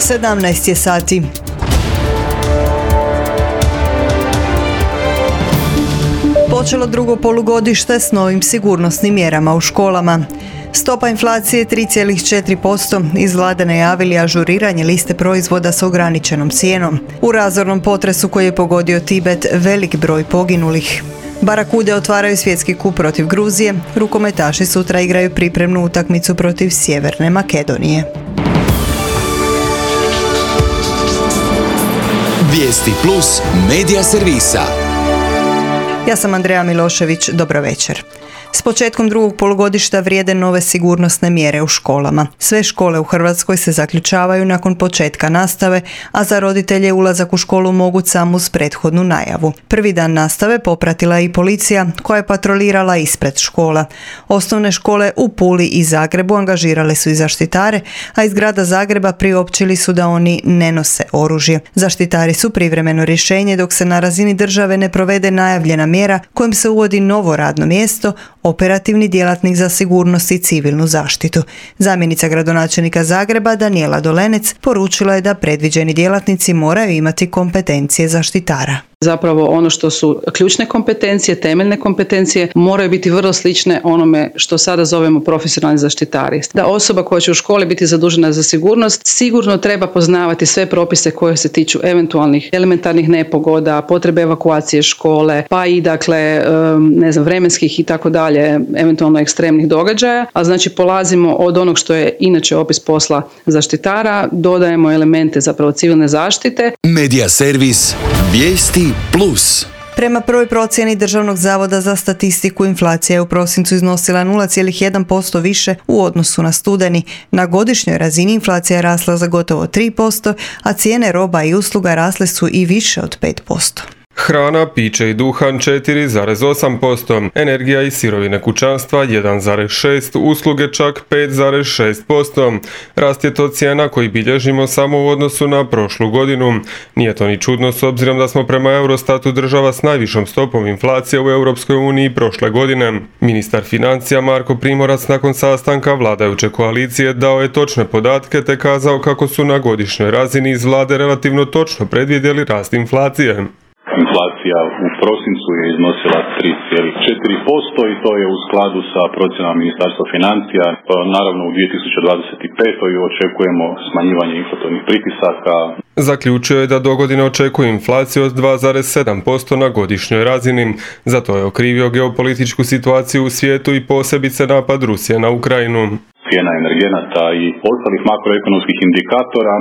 17 je sati. Počelo drugo polugodište s novim sigurnosnim mjerama u školama. Stopa inflacije 3,4%, iz vlade najavili ažuriranje liste proizvoda s ograničenom cijenom. U razornom potresu koji je pogodio Tibet, velik broj poginulih. Barakude otvaraju svjetski kup protiv Gruzije, rukometaši sutra igraju pripremnu utakmicu protiv Sjeverne Makedonije. Vijesti plus medija servisa. Ja sam Andreja Milošević, dobro večer. S početkom drugog polugodišta vrijede nove sigurnosne mjere u školama. Sve škole u Hrvatskoj se zaključavaju nakon početka nastave, a za roditelje ulazak u školu moguć samo uz prethodnu najavu. Prvi dan nastave popratila je i policija koja je patrolirala ispred škola. Osnovne škole u Puli i Zagrebu angažirale su i zaštitare, a iz grada Zagreba priopćili su da oni ne nose oružje. Zaštitari su privremeno rješenje dok se na razini države ne provede najavljena mjera kojim se uvodi novo radno mjesto, operativni djelatnik za sigurnost i civilnu zaštitu. Zamjenica gradonačelnika Zagreba Danijela Dolenec poručila je da predviđeni djelatnici moraju imati kompetencije zaštitara. Zapravo ono što su ključne kompetencije, temeljne kompetencije moraju biti vrlo slične onome što sada zovemo profesionalni zaštitari. Da osoba koja će u školi biti zadužena za sigurnost sigurno treba poznavati sve propise koje se tiču eventualnih elementarnih nepogoda, potrebe evakuacije škole, pa i vremenskih i tako dalje, eventualno ekstremnih događaja. A znači polazimo od onog što je inače opis posla zaštitara, dodajemo elemente zapravo civilne zaštite. Medija servis Vijesti plus. Prema prvoj procjeni Državnog zavoda za statistiku, inflacija je u prosincu iznosila 0,1% više u odnosu na studeni. Na godišnjoj razini inflacija je rasla za gotovo 3%, a cijene roba i usluga rasle su i više od 5%. Hrana, piće i duhan 4,8%, energija i sirovine kućanstva 1,6%, usluge čak 5,6%. Rast je to cijena koji bilježimo samo u odnosu na prošlu godinu. Nije to ni čudno s obzirom da smo prema Eurostatu država s najvišom stopom inflacije u Europskoj uniji prošle godine. Ministar financija Marko Primorac nakon sastanka vladajuće koalicije dao je točne podatke te kazao kako su na godišnjoj razini iz vlade relativno točno predvidjeli rast inflacije. Inflacija u prosincu je iznosila 3,4% i to je u skladu sa procjenama Ministarstva financija. Naravno u 2025. očekujemo smanjivanje inflatornih pritisaka. Zaključio je da dogodine očekuje inflaciju od 2,7% na godišnjoj razini. Zato je okrivio geopolitičku situaciju u svijetu i posebice napad Rusije na Ukrajinu. Cijena energenata i ostalih makroekonomskih indikatora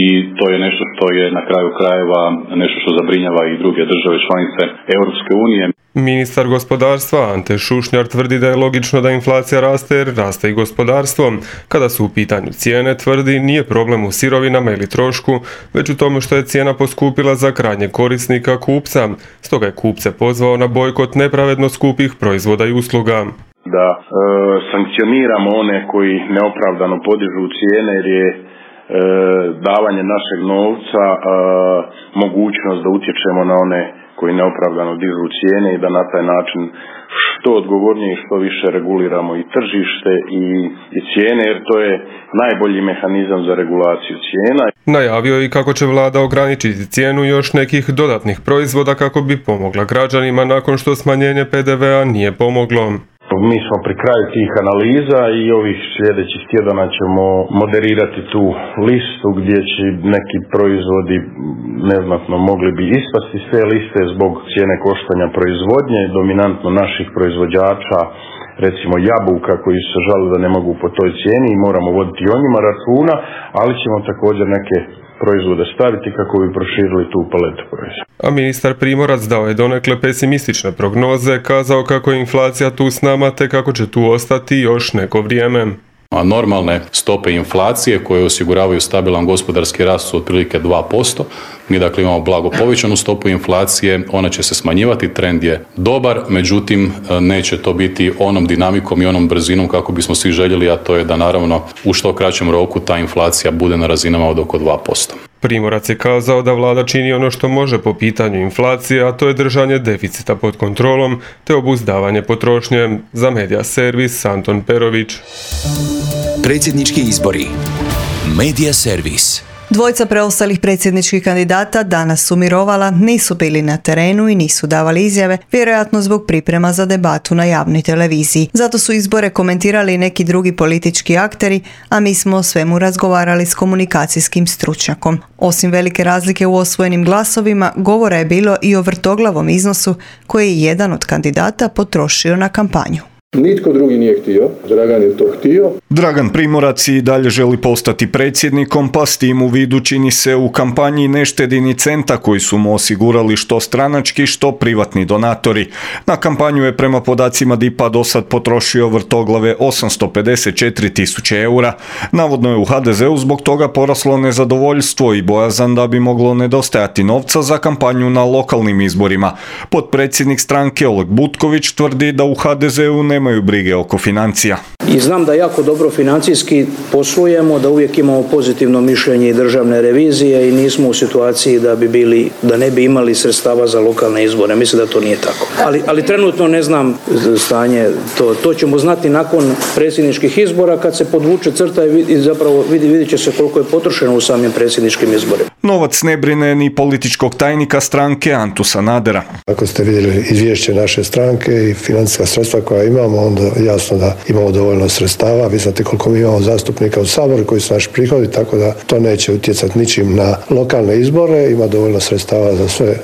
i to je nešto što je na kraju krajeva nešto što zabrinjava i druge države članice Europske unije. Ministar gospodarstva Ante Šušnjar tvrdi da je logično da inflacija raste jer raste i gospodarstvo. Kada su u pitanju cijene, tvrdi, nije problem u sirovinama ili trošku, već u tome što je cijena poskupila za krajnjeg korisnika kupca. Stoga je kupce pozvao na bojkot nepravedno skupih proizvoda i usluga. Da sankcioniramo one koji neopravdano podižu cijene jer je davanje našeg novca mogućnost da utječemo na one koji neopravdano dižu cijene i da na taj način što odgovornije i što više reguliramo i tržište i cijene, jer to je najbolji mehanizam za regulaciju cijena. Najavio je i kako će vlada ograničiti cijenu još nekih dodatnih proizvoda kako bi pomogla građanima nakon što smanjenje PDV-a nije pomoglo. Mi smo pri kraju tih analiza i ovih sljedećih tjedana ćemo moderirati tu listu gdje će neki proizvodi neznatno mogli bi ispasti s te liste zbog cijene koštanja proizvodnje, dominantno naših proizvođača, recimo jabuka koji se žale da ne mogu po toj cijeni i moramo voditi o njima računa, ali ćemo također neke proizvode staviti kako bi proširili tu paletu proizvoda. A ministar Primorac dao je donekle pesimistične prognoze, kazao kako je inflacija tu s nama te kako će tu ostati još neko vrijeme. A normalne stope inflacije koje osiguravaju stabilan gospodarski rast su otprilike 2%. Mi dakle imamo blago povećanu stopu inflacije, ona će se smanjivati, trend je dobar, međutim neće to biti onom dinamikom i onom brzinom kako bismo svi željeli, a to je da naravno u što kraćem roku ta inflacija bude na razinama od oko 2%. Primorac je kazao da vlada čini ono što može po pitanju inflacije, a to je držanje deficita pod kontrolom te obuzdavanje potrošnje. Za Medija servis Anton Perović. Predsjednički izbori. Medija servis. Dvojica preostalih predsjedničkih kandidata danas su mirovala, nisu bili na terenu i nisu davali izjave, vjerojatno zbog priprema za debatu na javnoj televiziji. Zato su izbore komentirali neki drugi politički akteri, a mi smo o svemu razgovarali s komunikacijskim stručnjakom. Osim velike razlike u osvojenim glasovima, govora je bilo i o vrtoglavom iznosu koji je jedan od kandidata potrošio na kampanju. Nitko drugi nije htio, Dragan je to htio. Dragan Primorac i dalje želi postati predsjednikom, pa s tim u vidu čini se u kampanji ne štedi ni centa koji su mu osigurali što stranački, što privatni donatori. Na kampanju je prema podacima DIP-a do sad potrošio vrtoglave 854.000 eura. Navodno je u HDZ-u zbog toga poraslo nezadovoljstvo i bojazan da bi moglo nedostajati novca za kampanju na lokalnim izborima. Potpredsjednik stranke Oleg Butković tvrdi da u HDZ-u nemaju brige oko financija. I znam da jako dobro financijski poslujemo, da uvijek imamo pozitivno mišljenje i državne revizije i nismo u situaciji da ne bi imali sredstava za lokalne izbore. Mislim da to nije tako. Ali trenutno ne znam stanje. To ćemo znati nakon predsjedničkih izbora kad se podvuče crta i zapravo vidjet će se koliko je potrošeno u samim predsjedničkim izborima. Novac ne brine ni političkog tajnika stranke Antu Sanadera. Ako ste vidjeli izvješće naše stranke i financijska sredstva koja imamo, onda jasno da imamo dovoljno sredstava. Vi znate koliko mi imamo zastupnika u Saboru koji su naši prihodi, tako da to neće utjecati ničim na lokalne izbore. Ima dovoljno sredstava za sve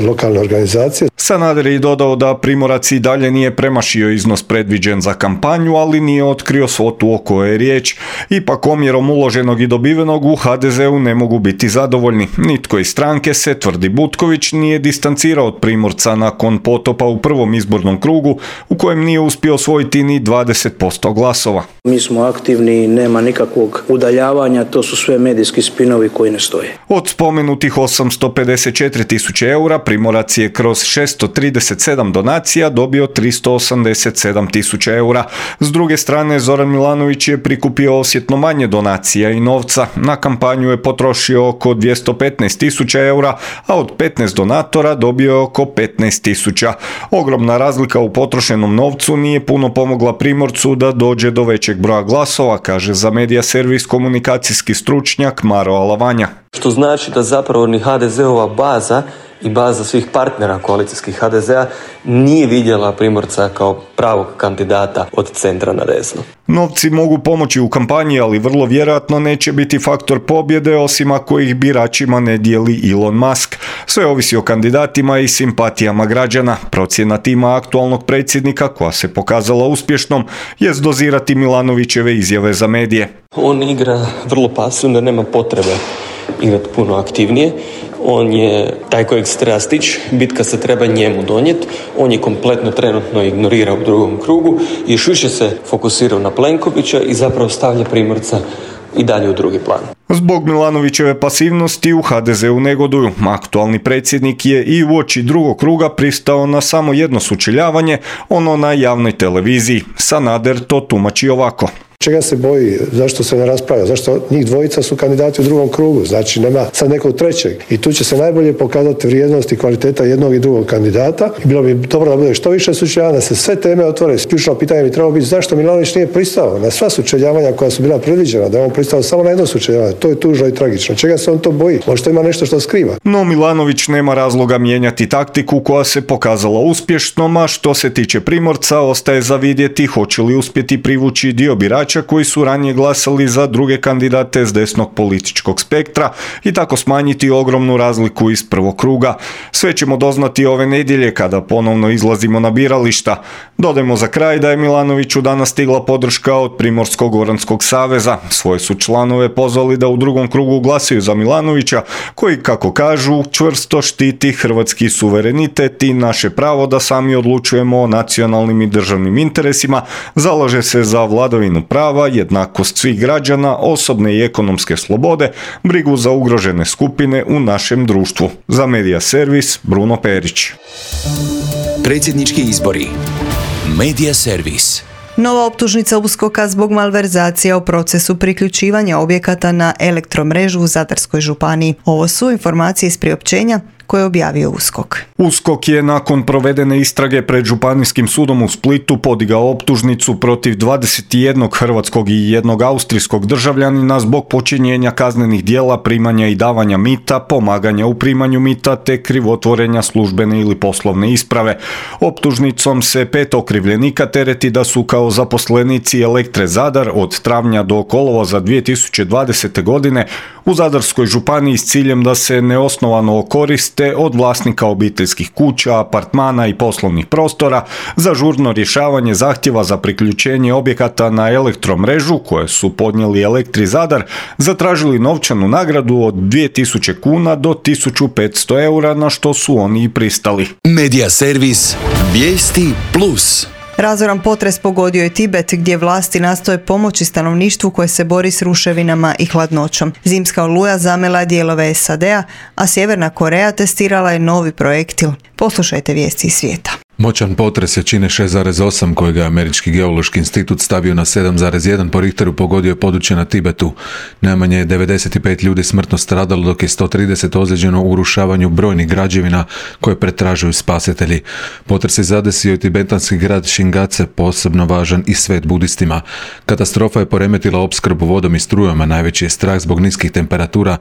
lokalne organizacije. Sanader je dodao da Primorac i dalje nije premašio iznos predviđen za kampanju, ali nije otkrio svotu o kojoj je riječ. Ipak omjerom uloženog i dobivenog u HDZ-u ne mogu biti zadovoljni. Nitko iz stranke se, tvrdi Butković, nije distancirao od Primorca nakon potopa u prvom izbornom krugu u kojem nije uspio osvojiti ni 20% glasova. Mi smo aktivni, nema nikakvog udaljavanja, to su sve medijski spinovi koji ne stoje. Od spomenutih 854.000 eura Primorac je kroz 637 donacija dobio 387.000 eura. S druge strane, Zoran Milanović je prikupio osjetno manje donacija i novca. Na kampanju je potrošio oko 215.000 eura, a od 15 donatora dobio je oko 15.000. Ogromna razlika u potrošenom novcu nije puno pomogla Primorcu da dođe do većeg broja glasova, kaže za Medija servis komunikacijski stručnjak Maro Alavanja. Što znači da zapravo ni HDZ-ova baza i baza svih partnera koalicijskih HDZ-a nije vidjela Primorca kao pravog kandidata od centra na desno. Novci mogu pomoći u kampanji, ali vrlo vjerojatno neće biti faktor pobjede, osim ako ih biračima ne dijeli Elon Musk. Sve ovisi o kandidatima i simpatijama građana. Procjena tima aktualnog predsjednika, koja se pokazala uspješnom, jest dozirati Milanovićeve izjave za medije. On igra vrlo pasivno, nema potrebe igrati puno aktivnije. On je taj kojeg se treba stići, bitka se treba njemu donijeti, on je kompletno trenutno ignorira u drugom krugu i još više se fokusirao na Plenkovića i zapravo stavlja Primorca i dalje u drugi plan. Zbog Milanovićeve pasivnosti u HDZ-u negoduju. Aktualni predsjednik je i uoči drugog kruga pristao na samo jedno sučeljavanje, ono na javnoj televiziji. Sanader to tumači ovako. Čega se boji? Zašto se ne raspravlja? Zašto njih dvojica su kandidati u drugom krugu? Znači nema sad nekog trećeg. I tu će se najbolje pokazati vrijednost i kvaliteta jednog i drugog kandidata. I bilo bi dobro da bude što više sučeljavanja, da se sve teme otvore. Ključno pitanje bi trebalo biti zašto Milanović nije pristao na sva sučeljavanja koja su bila predviđena, da je on pristao samo na jedno sučeljavanje. To je tužno i tragično. Čega se on to boji? Možda ima nešto što skriva. No Milanović nema razloga mijenjati taktiku koja se pokazala uspješnom, a što se tiče Primorca, ostaje za vidjeti hoće li uspjeti privući dio birača koji su ranije glasali za druge kandidate s desnog političkog spektra i tako smanjiti ogromnu razliku iz prvog kruga. Sve ćemo doznati ove nedjelje kada ponovno izlazimo na birališta. Dodajmo za kraj da je Milanoviću danas stigla podrška od Primorsko-goranskog saveza. Svoje su članove pozvali da u drugom krugu glasaju za Milanovića, koji, kako kažu, čvrsto štiti hrvatski suverenitet i naše pravo da sami odlučujemo o nacionalnim i državnim interesima, zalaže se za vladavinu prava, jednakost svih građana, osobne i ekonomske slobode, brigu za ugrožene skupine u našem društvu. Za Medija servis, Bruno Perić. Predsjednički izbori. Medija servis. Nova optužnica USKOK-a zbog malverzacija u procesu priključivanja objekata na elektromrežu u Zadarskoj županiji. Ovo su informacije iz priopćenja koje je objavio USKOK. USKOK je nakon provedene istrage pred Županijskim sudom u Splitu podigao optužnicu protiv 21 hrvatskog i jednog austrijskog državljanina zbog počinjenja kaznenih djela primanja i davanja mita, pomaganja u primanju mita te krivotvorenja službene ili poslovne isprave. Optužnicom se 5 okrivljenika tereti da su kao zaposlenici Elektre Zadar od travnja do kolovoza 2020. godine u Zadarskoj županiji s ciljem da se neosnovano koriste od vlasnika obiteljskih kuća, apartmana i poslovnih prostora za žurno rješavanje zahtjeva za priključenje objekata na elektromrežu koje su podnijeli Elektri Zadar, zatražili novčanu nagradu od 2000 kuna do 1500 eura, na što su oni i pristali. Medija servis Vijesti Plus. Razoran potres pogodio je Tibet gdje vlasti nastoje pomoći stanovništvu koje se bori s ruševinama i hladnoćom. Zimska oluja zamela je dijelove SAD-a, a Sjeverna Koreja testirala je novi projektil. Poslušajte vijesti iz svijeta. Moćan potres jačine 6,8 kojega je Američki geološki institut stavio na 7,1 po Richteru pogodio je područje na Tibetu. Najmanje je 95 ljudi smrtno stradalo dok je 130 ozlijeđeno u urušavanju brojnih građevina koje pretražuju spasitelji. Potres je zadesio i tibetanski grad Shingatse, posebno važan i svet budistima. Katastrofa je poremetila opskrbu vodom i strujama, najveći je strah zbog niskih temperatura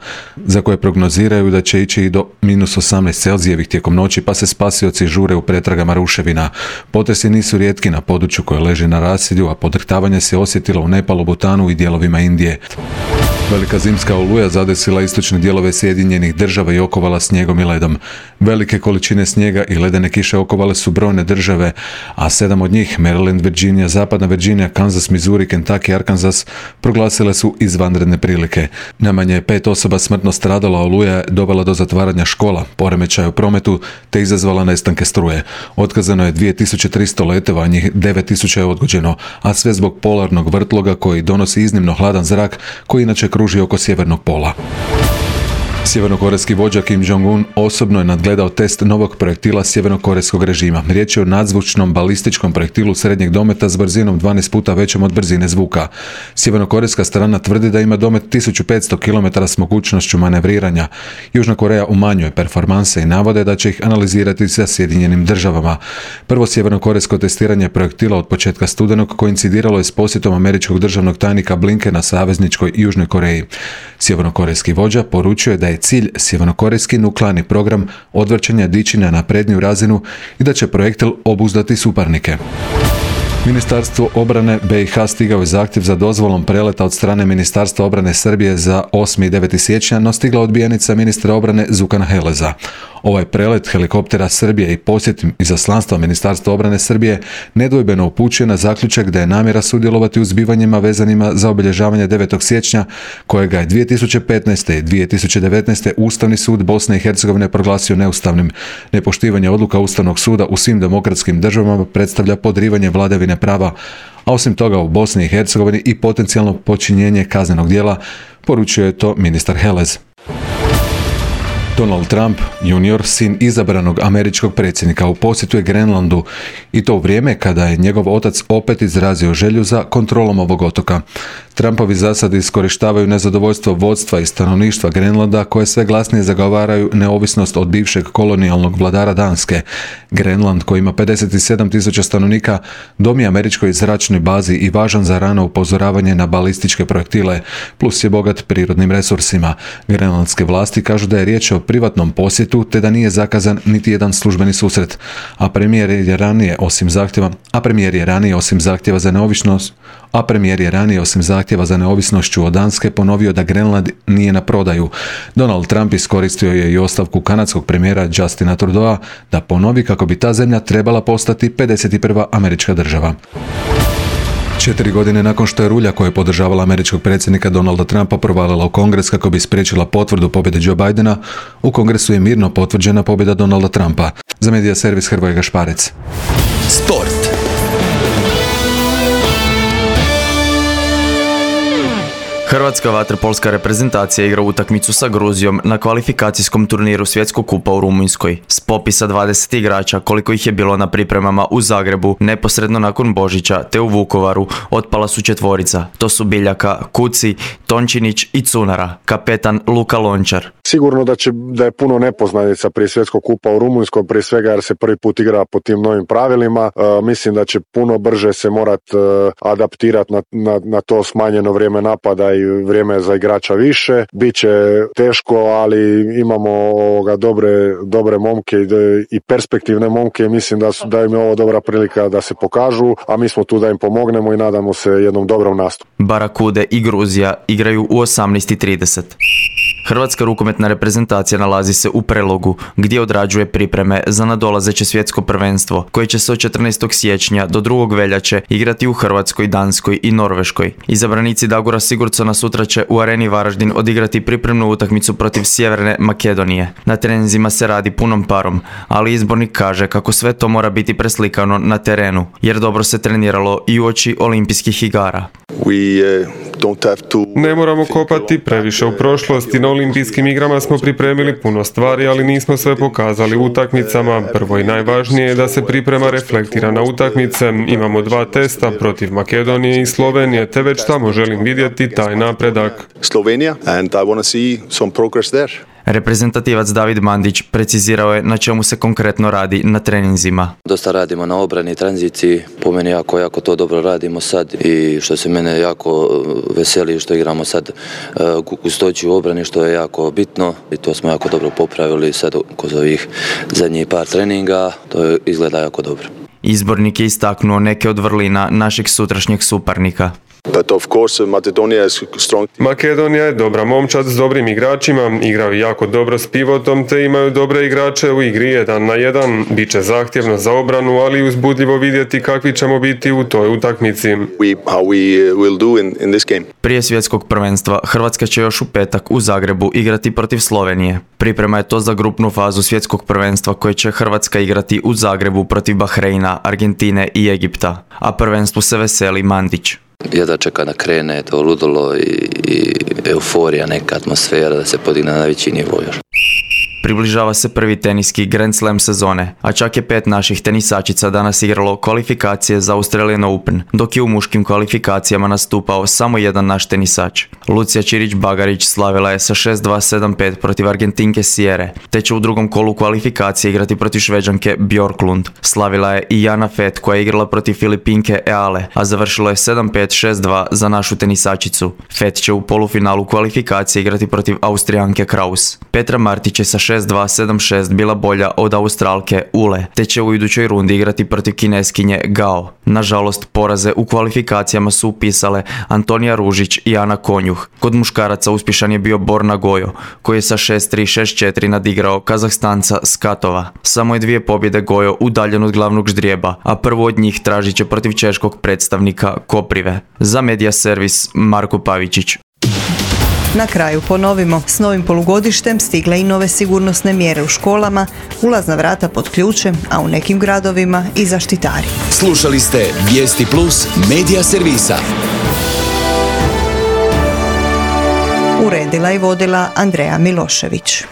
za koje prognoziraju da će ići i do -18 Celzijevih tijekom noći, pa se spasioci žure u pretragama ruševina. Potresi nisu rijetki na području koje leži na rasidju, a podrhtavanje se osjetilo u Nepalu, Butanu i dijelovima Indije. Velika zimska oluja zadesila istočne dijelove Sjedinjenih Država i okovala snijegom i ledom. Velike količine snijega i ledene kiše okovale su brojne države, a 7 od njih, Maryland, Virginia, Zapadna Virginia, Kansas, Missouri, Kentucky, Arkansas, proglasile su izvanredne prilike. Najmanje je 5 osoba smrtno stradalo, a oluja je dovela do zatvaranja škola, poremećaja u prometu te izazvala nestanke struje. Otkazano je 2300 letova, a njih 9000 je odgođeno, a sve zbog polarnog vrtloga koji donosi iznimno hladan zrak koji inače kruži oko sjevernog pola. Sjevernokorejski vođa Kim Jong-un osobno je nadgledao test novog projektila sjevernokorejskog režima. Riječ je o nadzvučnom balističkom projektilu srednjeg dometa s brzinom 12 puta većom od brzine zvuka. Sjevernokorejska strana tvrdi da ima domet 1500 km s mogućnošću manevriranja. Južna Koreja umanjuje performanse i navode da će ih analizirati sa Sjedinjenim Državama. Prvo sjevernokorejsko testiranje projektila od početka studenog koincidiralo je s posjetom američkog državnog tajnika Blinkena savezničkoj Južnoj Koreji. Sjevernokorejski vođa poručuje da je cilj sjevernokorejski nuklearni program odvrćanja dići na napredniju razinu i da će projektil obuzdati suparnike. Ministarstvo obrane BiH stigao je zahtjev za dozvolom preleta od strane Ministarstva obrane Srbije za 8. i 9. siječnja, no stigla odbijenica ministra obrane Zukana Heleza. Ovaj prelet helikoptera Srbije i posjet izaslanstva Ministarstva obrane Srbije nedvojbeno upućuje na zaključak da je namjera sudjelovati u zbivanjima vezanima za obilježavanje 9. siječnja, kojega je 2015. i 2019. Ustavni sud Bosne i Hercegovine proglasio neustavnim. Nepoštivanje odluka Ustavnog suda u svim demokratskim državama predstavlja podrivanje vladavine prava, a osim toga u Bosni i Hercegovini i potencijalno počinjenje kaznenog djela, poručio je to ministar Helez. Donald Trump junior, sin izabranog američkog predsjednika, u posjetu je Grenlandu i to u vrijeme kada je njegov otac opet izrazio želju za kontrolom ovog otoka. Trumpovi zasadi iskorištavaju nezadovoljstvo vodstva i stanovništva Grenlanda koje sve glasnije zagovaraju neovisnost od bivšeg kolonijalnog vladara Danske. Grenland, koji ima 57.000 stanovnika, dom je američkoj zračnoj bazi i važan za rano upozoravanje na balističke projektile, plus je bogat prirodnim resursima. Grenlandske vlasti kažu da je riječ o privatnom posjetu te da nije zakazan niti jedan službeni susret, a premijer je ranije osim zahtjeva za neovisnošću od Danske ponovio da Grenland nije na prodaju. Donald Trump iskoristio je i ostavku kanadskog premijera Justina Trudeau da ponovi kako bi ta zemlja trebala postati 51. američka država. 4 godine nakon što je rulja koja je podržavala američkog predsjednika Donalda Trumpa provalila u Kongres kako bi spriječila potvrdu pobjede Joe Bidena, u Kongresu je mirno potvrđena pobjeda Donalda Trumpa. Za Medija servis Hrvoje Gašparec. Sport. Hrvatska vaterpolska reprezentacija igra utakmicu sa Gruzijom na kvalifikacijskom turniru Svjetskog kupa u Rumunjskoj. S popisa 20 igrača, koliko ih je bilo na pripremama u Zagrebu, neposredno nakon Božića, te u Vukovaru, otpala su 4. To su Biljaka, Kuci, Tončinić i Cunara, kapetan Luka Lončar. Sigurno da je puno nepoznanica prije Svjetskog kupa u Rumunjskoj, prije svega jer se prvi put igra po tim novim pravilima. Mislim da će puno brže se morati adaptirati na to smanjeno vrijeme napada i vrijeme za igrača više. Biće teško, ali imamo dobre momke i perspektivne momke i mislim da im je ovo dobra prilika da se pokažu, a mi smo tu da im pomognemo i nadamo se jednom dobrom nastupu. Barakude i Gruzija igraju u 18:30. Hrvatska rukometna reprezentacija nalazi se u Prelogu, gdje odrađuje pripreme za nadolazeće svjetsko prvenstvo, koje će se od 14. siječnja do 2. veljače igrati u Hrvatskoj, Danskoj i Norveškoj. Izabranici Dagora Sigurdsona sutra će u Areni Varaždin odigrati pripremnu utakmicu protiv Sjeverne Makedonije. Na treninzima se radi punom parom, ali izbornik kaže kako sve to mora biti preslikano na terenu, jer dobro se treniralo i uoči olimpijskih igara. Ne moramo kopati previše u prošlosti. Na olimpijskim igrama smo pripremili puno stvari, ali nismo sve pokazali u utakmicama. Prvo i najvažnije je da se priprema reflektira na utakmice. Imamo 2 testa protiv Makedonije i Slovenije, te već tamo želim vidjeti taj napredak. Reprezentativac David Mandić precizirao je na čemu se konkretno radi na treninzima. Dosta radimo na obrani, tranziciji, po meni jako to dobro radimo sad i što se mene jako veseli što igramo sad gustoću u obrani, što je jako bitno i to smo jako dobro popravili sad kroz ovih zadnjih par treninga, to izgleda jako dobro. Izbornik je istaknuo neke od vrlina našeg sutrašnjeg suparnika. Makedonija je dobra momčad s dobrim igračima, igraju jako dobro s pivotom te imaju dobre igrače u igri 1 na 1. Biće zahtjevno za obranu, ali uzbudljivo vidjeti kakvi ćemo biti u toj utakmici. Prije svjetskog prvenstva Hrvatska će još u petak u Zagrebu igrati protiv Slovenije. Priprema je to za grupnu fazu svjetskog prvenstva koje će Hrvatska igrati u Zagrebu protiv Bahreina, Argentine i Egipta, a prvenstvu se veseli Mandić. Jedva čeka da krene to ludilo i euforija, neka atmosfera da se podigne na najveći nivo još. Približava se prvi teniski Grand Slam sezone, a čak je 5 naših tenisačica danas igralo kvalifikacije za Australian Open, dok je u muškim kvalifikacijama nastupao samo jedan naš tenisač. Lucija Čirić-Bagarić slavila je sa 6-2-7-5 protiv Argentinke Sierre, te će u drugom kolu kvalifikacije igrati protiv Šveđanke Bjorklund. Slavila je i Jana Fett koja je igrala protiv Filipinke Eale, a završilo je 7-5-6-2 za našu tenisačicu. Fett će u polufinalu kvalifikacije igrati protiv Austrijanke Kraus. Petra Martić je sa 6-2-7-6 bila bolja od Australke Ule, te će u idućoj rundi igrati protiv Kineskinje Gao. Nažalost, poraze u kvalifikacijama su upisale Antonija Ružić i Ana Konjuh. Kod muškaraca uspješan je bio Borna Gojo, koji je sa 6-3-6-4 nadigrao Kazahstanca Skatova. Samo je 2 pobjede Gojo udaljen od glavnog ždrijeba, a prvu od njih tražit će protiv češkog predstavnika Koprive. Za Media Servis Marko Pavičić. Na kraju ponovimo, s novim polugodištem stigle i nove sigurnosne mjere u školama, ulazna vrata pod ključem, a u nekim gradovima i zaštitari. Slušali ste Vijesti Plus Media Servisa. Uredila i vodila Andreja Milošević.